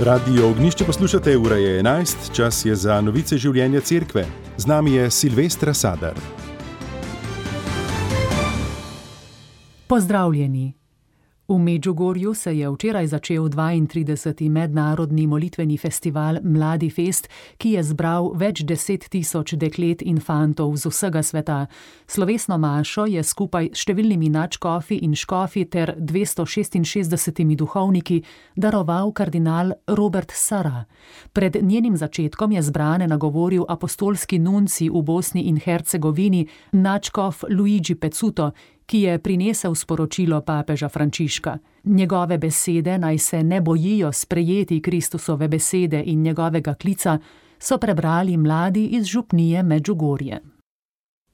Radio Ognjišče poslušate, ura je 11, čas je za novice življenja cerkve. Z nami je Silvestra Sadar. Pozdravljeni. V Medžugorju se je včeraj začel 32. mednarodni molitveni festival Mladi fest, ki je zbral več 10.000 deklet in fantov z vsega sveta. Slovesno mašo je skupaj s številnimi nadškofi in škofi ter 266 duhovniki daroval kardinal Robert Sarah. Pred njenim začetkom je zbrane nagovoril apostolski nunci v Bosni in Hercegovini, nadškof Luigi Pezzuto, ki je prinesel sporočilo papeža Frančiška. Njegove besede, naj se ne bojijo sprejeti Kristusove besede in njegovega klica, so prebrali mladi iz župnije Medžugorje.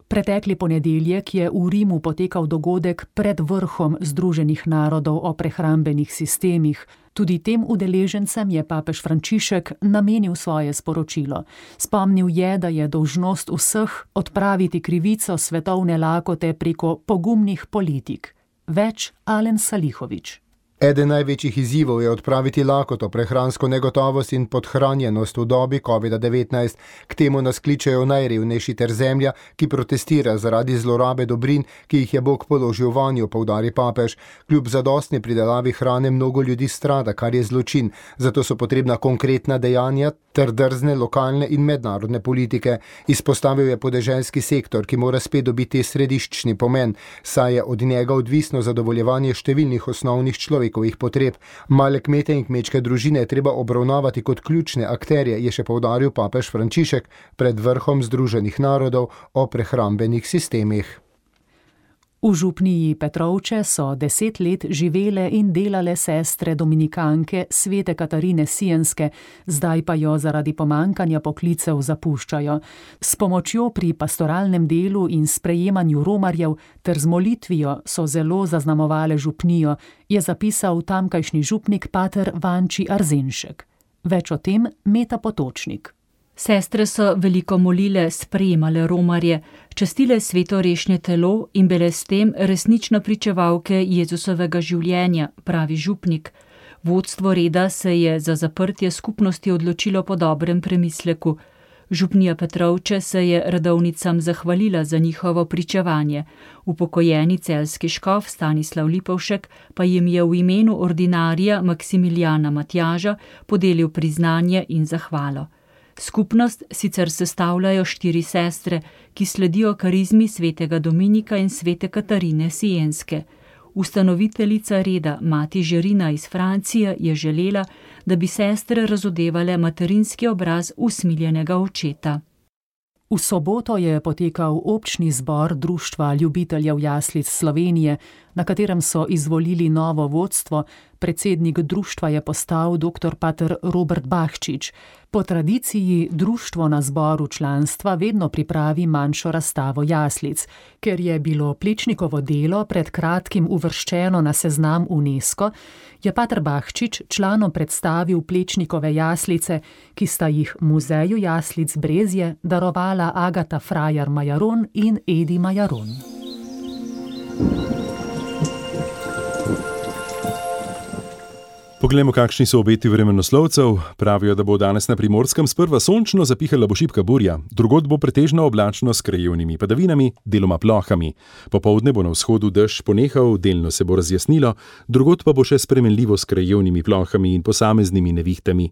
Pretekli ponedeljek je v Rimu potekal dogodek pred vrhom Združenih narodov o prehrambenih sistemih. Tudi tem udeležencem je papež Frančišek namenil svoje sporočilo. Spomnil je, da je dolžnost vseh odpraviti krivico svetovne lakote preko pogumnih politik. Več Alen Salihović. Eden največjih izzivov je odpraviti lakoto, prehransko negotovost in podhranjenost v dobi COVID-19. K temu nas kličejo najrevnejši ter zemlja, ki protestira zaradi zlorabe dobrin, ki jih je Bog položil vanjo, poudari papež. Kljub zadostni pridelavi hrane mnogo ljudi strada, kar je zločin. Zato so potrebna konkretna dejanja ter drzne lokalne in mednarodne politike. Izpostavil je podeželski sektor, ki mora spet dobiti središčni pomen, saj je od njega odvisno zadovoljevanje številnih osnovnih človekovih potreb. Male kmete in kmečke družine je treba obravnavati kot ključne akterje, je še poudaril papež Frančišek pred vrhom Združenih narodov o prehrambenih sistemih. V župniji Petrovče so 10 let živele in delale sestre dominikanke svete Katarine Sienske, zdaj pa jo zaradi pomankanja poklicev zapuščajo. S pomočjo pri pastoralnem delu in sprejemanju romarjev ter z molitvijo so zelo zaznamovale župnijo, je zapisal tamkajšnji župnik pater Vanči Arzenšek. Več o tem Meta Potočnik. Sestre so veliko molile, sprejemale romarje, častile svetorešne telo in bile s tem resnično pričevalke Jezusovega življenja, pravi župnik. Vodstvo reda se je za zaprtje skupnosti odločilo po dobrem premisleku. Župnija Petrovče se je redovnicam zahvalila za njihovo pričevanje. Upokojeni celjski škof Stanislav Lipovšek pa jim je v imenu ordinarija Maksimilijana Matjaža podelil priznanje in zahvalo. Skupnost sicer sestavljajo 4 sestre, ki sledijo karizmi svetega Dominika in svete Katarine Sienske. Ustanoviteljica reda Mati Žerina iz Francije je želela, da bi sestre razodevale materinski obraz usmiljenega očeta. V soboto je potekal občni zbor Društva ljubiteljev jaslic Slovenije, na katerem so izvolili novo vodstvo. Predsednik društva je postal dr. pater Robert Bahčič. Po tradiciji društvo na zboru članstva vedno pripravi manjšo razstavo jaslic. Ker je bilo Plečnikovo delo pred kratkim uvrščeno na seznam UNESCO, je pater Bahčič članom predstavil Plečnikove jaslice, ki sta jih Muzeju jaslic Brezje darovala Agata Frajar Majaron in Edi Majaron. Poglejmo, kakšni so obeti vremenoslovcev. Pravijo, da bo danes na Primorskem sprva sončno, zapihala bo šibka burja. Drugod bo pretežno oblačno s krajevnimi padavinami, deloma plohami. Popoldne bo na vzhodu dež ponehal, delno se bo razjasnilo, drugod pa bo še spremenljivo s krajevnimi plohami in posameznimi nevihtami.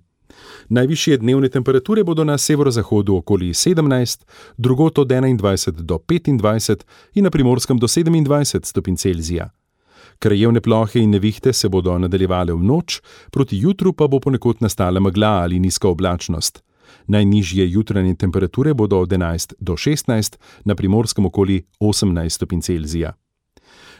Najvišje dnevne temperature bodo na severozahodu okoli 17, drugod od 21 do 25 in na Primorskem do 27 stopinj Celzija. Krajevne plohe in nevihte se bodo nadaljevale v noč, proti jutru pa bo ponekod nastala megla ali nizka oblačnost. Najnižje jutranje temperature bodo od 11 do 16, na Primorskem okoli 18 stopinj Celzija.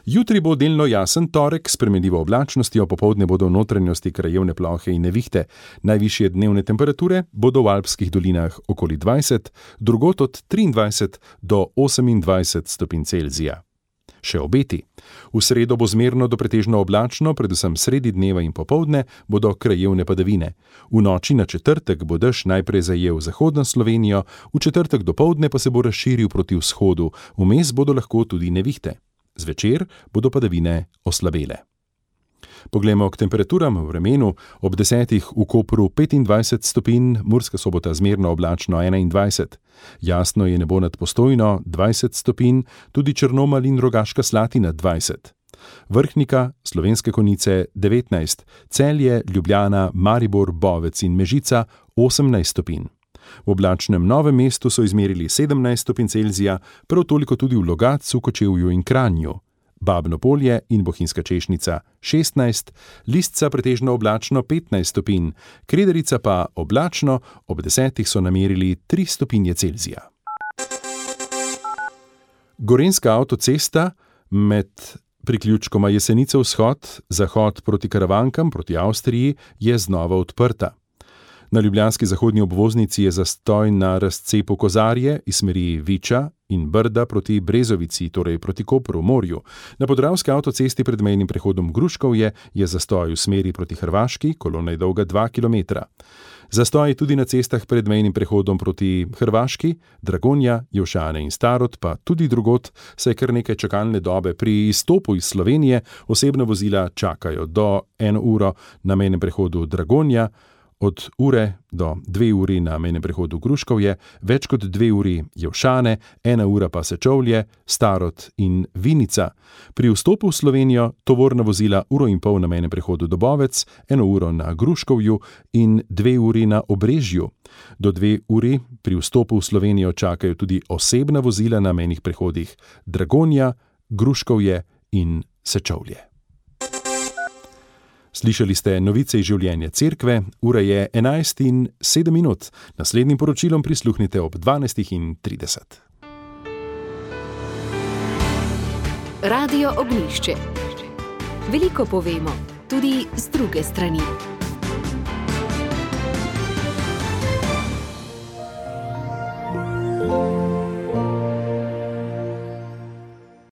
Jutri bo delno jasen torek s spremenljivo oblačnostjo, popoldne bodo v notranjosti krajevne plohe in nevihte. Najvišje dnevne temperature bodo v alpskih dolinah okoli 20, drugod od 23 do 28 stopinj Celzija. Še obeti. V sredo bo zmerno do pretežno oblačno, predvsem sredi dneva in popoldne bodo krajevne padavine. V noči na četrtek bo dež najprej zajel zahodno Slovenijo, v četrtek dopoldne pa se bo razširil proti vzhodu, vmes bodo lahko tudi nevihte. Zvečer bodo padavine oslabele. Poglejmo k temperaturam v vremenu. Ob 10 v Kopru 25 stopinj, Murska Sobota zmerno oblačno 21. Jasno je nebo nad Postojno 20 stopinj, tudi Črnomelj in Rogaška Slatina 20. Vrhnika, Slovenske Konjice 19, Celje, Ljubljana, Maribor, Bovec in Mežica 18 stopinj. V oblačnem Novem mestu so izmerili 17 stopinj Celzija, prav toliko tudi v Logatcu, Kočevju in Kranju. Babno Polje in Bohinjska Češnica 16, Listca pretežno oblačno 15 stopinj, Krederica pa oblačno, ob 10 so namerili 3 stopinje Celzija. Gorenjska avtocesta med priključkoma Jesenice vzhod, zahod proti Karavankam, proti Avstriji, je znova odprta. Na ljubljanski zahodni obvoznici je zastoj na razcepu Kozarje iz smeri Viča in Brda proti Brezovici, torej proti Kopru, morju. Na podravski avtocesti pred mejnim prehodom Gruškovje je zastoj v smeri proti Hrvaški, kolona je dolga 2 km. Zastoj je tudi na cestah pred mejnim prehodom proti Hrvaški, Dragonja, Jelšane in Starod, pa tudi drugod, saj kar nekaj čakalne dobe. Pri izstopu iz Slovenije osebna vozila čakajo do 1 uro na mejnem prehodu Dragonja, od ure do 2 uri na mejnem prehodu Gruškovje, več kot 2 uri Jelšane, 1 ura pa Sečovlje, Starod in Vinica. Pri vstopu v Slovenijo tovorna vozila 1,5 ure na mejnem prehodu Dobovec, 1 uro na Gruškovju in 2 uri na Obrežju. Do 2 uri pri vstopu v Slovenijo čakajo tudi osebna vozila na mejnih prehodih Dragonja, Gruškovje in Sečovlje. Slišali ste novice iz življenja cerkve, ura je 11:07. Naslednjim poročilom prisluhnite ob 12:30. Radio Ognjišče. Veliko povemo, tudi z druge strani.